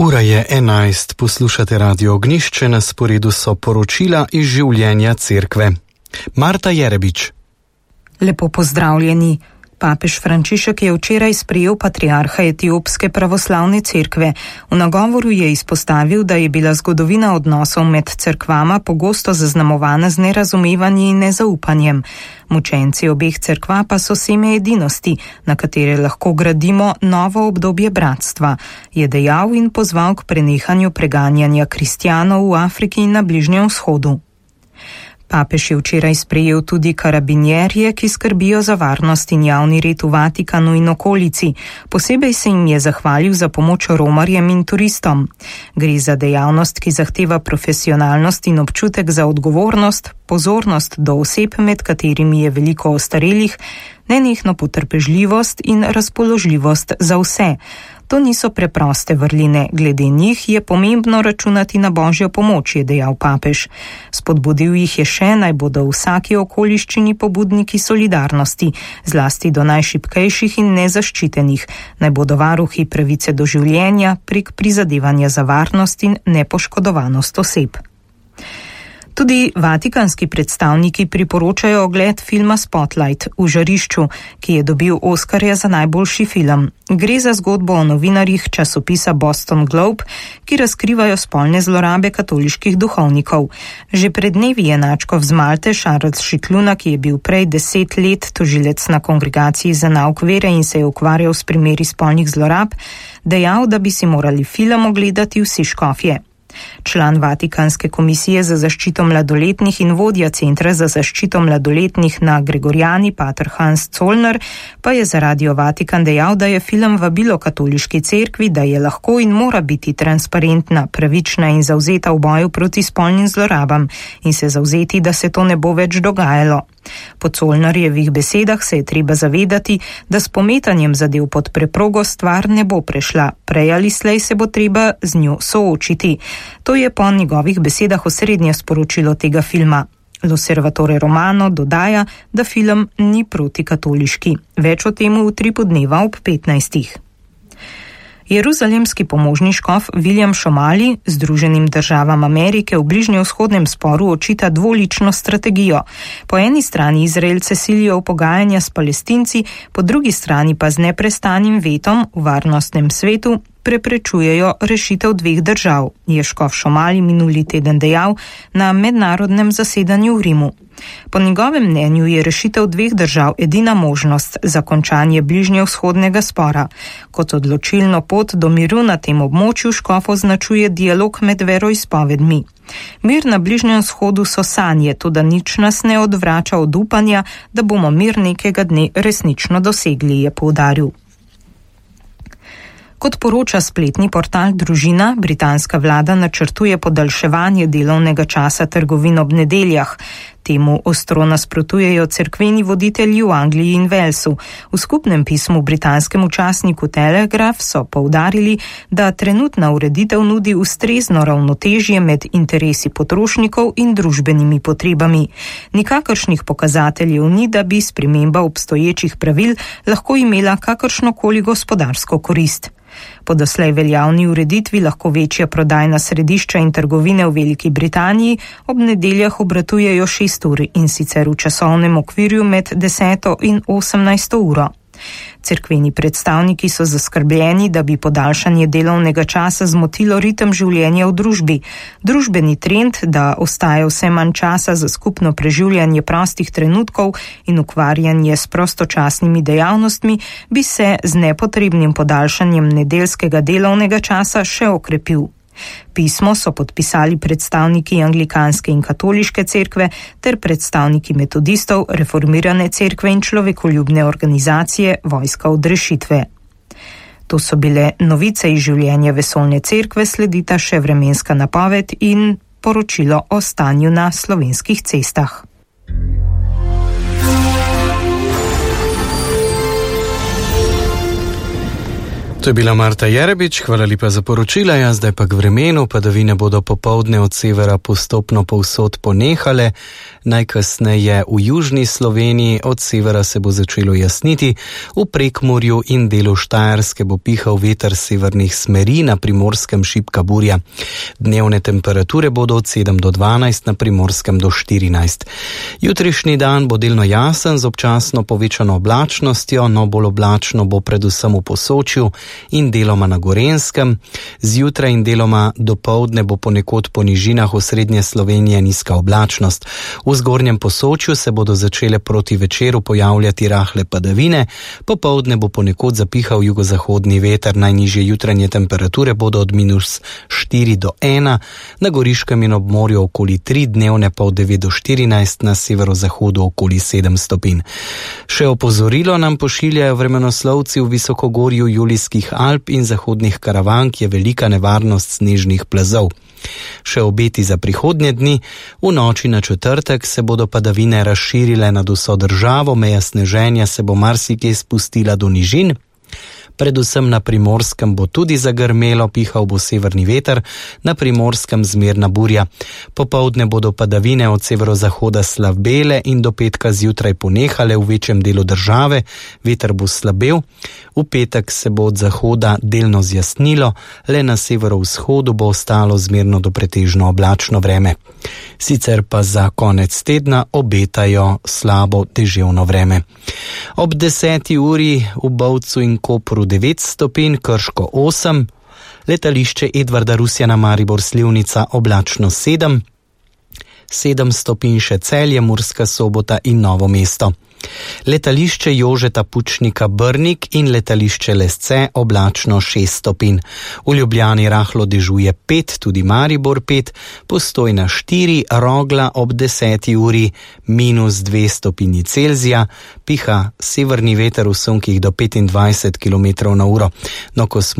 Ura je 11, poslušate Radio Ognjišče, na sporedu so poročila iz življenja cerkve. Marta Jerebič. Lepo pozdravljeni. Papež Frančišek je včeraj sprejel patriarha Etiopske pravoslavne cerkve. V nagovoru je izpostavil, da je bila zgodovina odnosov med cerkvama pogosto zaznamovana z nerazumevanjem in nezaupanjem. Mučenci obeh cerkva pa so seme edinosti, na katere lahko gradimo novo obdobje bratstva, je dejal in pozval k prenehanju preganjanja kristjanov v Afriki in na Bližnjem vzhodu. Papež je včeraj sprejel tudi karabinjerje, ki skrbijo za varnost in javni red v Vatikanu in okolici. Posebej se jim je zahvalil za pomoč romarjem in turistom. Gre za dejavnost, ki zahteva profesionalnost in občutek za odgovornost, pozornost do oseb, med katerimi je veliko ostarelih, nenehno potrpežljivost in razpoložljivost za vse. To niso preproste vrline, glede njih je pomembno računati na Božjo pomoč, je dejal papež. Spodbudil jih je še, naj bodo v vsaki okoliščini pobudniki solidarnosti, zlasti do najšibkejših in nezaščitenih, naj bodo varuhi pravice do življenja prek prizadevanja za varnost in nepoškodovanost oseb. Tudi vatikanski predstavniki priporočajo ogled filma Spotlight v žarišču, ki je dobil Oskarja za najboljši film. Gre za zgodbo o novinarjih časopisa Boston Globe, ki razkrivajo spolne zlorabe katoliških duhovnikov. Že pred dnevi je nadškof z Malte Charles Šikluna, ki je bil prej 10 let tožilec na Kongregaciji za nauk vere in se je ukvarjal s primeri spolnih zlorab, dejal, da bi si morali film ogledati vsi škofje. Član Vatikanske komisije za zaščito mladoletnih in vodja Centra za zaščito mladoletnih na Gregorjani, pater Hans Zollner, pa je za Radio Vatikan dejal, da je film vabilo katoliški cerkvi, da je lahko in mora biti transparentna, pravična in zavzeta v boju proti spolnim zlorabam in se zavzeti, da se to ne bo več dogajalo. Po Zollnerjevih besedah se je treba zavedati, da s pometanjem zadev pod preprogo stvar ne bo prešla, prej ali slej se bo treba z njo soočiti. To je po njegovih besedah osrednje sporočilo tega filma. L'Osservatore Romano dodaja, da film ni protikatoliški. Več o tem v 3 podneva ob 15. Jeruzalemski pomožni škof William Šomali Združenim državam Amerike v bližnjevzhodnem sporu očita dvolično strategijo. Po eni strani Izraelce silijo v pogajanja s Palestinci, po drugi strani pa z neprestanim vetom v varnostnem svetu preprečujejo rešitev 2 držav, je škof Šomali minuli teden dejal na mednarodnem zasedanju v Rimu. Po njegovem mnenju je rešitev 2 držav edina možnost za končanje bližnjevzhodnega spora. Kot odločilno pot do miru na tem območju škof označuje dialog med veroizpovedmi. Mir na Bližnjem vzhodu so sanje, toda nič nas ne odvrača od upanja, da bomo mir nekega dne resnično dosegli, je poudaril. Kot poroča spletni portal Družina, britanska vlada načrtuje podaljševanje delovnega časa trgovin ob nedeljah. Temu ostro nasprotujejo cerkveni voditelji v Angliji in Walesu. V skupnem pismu britanskemu časniku Telegraph so poudarili, da trenutna ureditev nudi ustrezno ravnotežje med interesi potrošnikov in družbenimi potrebami. Nikakršnih pokazateljev ni, da bi sprememba obstoječih pravil lahko imela kakršnokoli gospodarsko korist. Po doslej veljavni ureditvi lahko večja prodajna središča in trgovine v Veliki Britaniji ob nedeljah obratujejo 6 ur in sicer v časovnem okvirju med 10. in 18. uro. Cerkveni predstavniki so zaskrbljeni, da bi podaljšanje delovnega časa zmotilo ritem življenja v družbi. Družbeni trend, da ostaja vse manj časa za skupno preživljanje prostih trenutkov in ukvarjanje s prostočasnimi dejavnostmi, bi se z nepotrebnim podaljšanjem nedeljskega delovnega časa še okrepil. Pismo so podpisali predstavniki anglikanske in katoliške cerkve ter predstavniki metodistov, reformirane cerkve in človekoljubne organizacije Vojska od rešitve. To so bile novice iz življenja vesoljne cerkve, sledita še vremenska napoved in poročilo o stanju na slovenskih cestah. To je bila Marta Jerebič, hvala lepa za poročila, zdaj pa k vremenu, padavine bodo popoldne od severa postopno povsod ponehale, najkasneje v južni Sloveniji, od severa se bo začelo jasniti, v Prekmurju in delu Štajerske bo pihal veter severnih smeri, na Primorskem šibka burja. Dnevne temperature bodo od 7 do 12, na Primorskem do 14. Jutrišnji dan bo delno jasen z občasno povečano oblačnostjo, no bolj oblačno bo predvsem v Posočju in deloma na Gorenjskem. Zjutraj in deloma dopoldne bo ponekod po nižinah osrednje Slovenije nizka oblačnost. V zgornjem Posočju se bodo začele proti večeru pojavljati rahle padavine, popoldne bo ponekod zapihal jugozahodni veter, najnižje jutranje temperature bodo od -4 do 1, na Goriškem in ob morju okoli 3, dnevne pa od 9 do 14, na severozahodu okoli 7 stopinj. Še opozorilo nam pošiljajo vremenoslovci: v visokogorju Julijskih Alp in zahodnih Karavank je velika nevarnost snežnih plazov. Še obeti za prihodnje dni: v noči na četrtek se bodo padavine razširile nad vso državo, meja sneženja se bo marsikje spustila do nižin. Predvsem na Primorskem bo tudi zagrmelo, pihal bo severni veter, na Primorskem zmerna burja. Popoldne bodo padavine od severozahoda slabele in do petka zjutraj ponehale v večjem delu države, veter bo slabel. V petek se bo od zahoda delno zjasnilo, le na severovzhodu bo ostalo zmerno do pretežno oblačno vreme. Sicer pa za konec tedna obetajo slabo deževno vreme. Ob 10. uri v Bovcu in Kopru 9 stopinj, Krško 8, letališče Edvarda Rusjana Maribor Slivnica oblačno 7, 7 stopinj še Celje, Murska Sobota in Novo mesto. Letališče Jožeta Pučnika Brnik in letališče Lesce oblačno 6 stopinj. V Ljubljani rahlo dežuje 5, tudi Maribor 5, Postojna 4, Rogla ob 10. uri -2 stopinji Celzija, piha severni veter v sunkih do 25 km/h. No, ko smo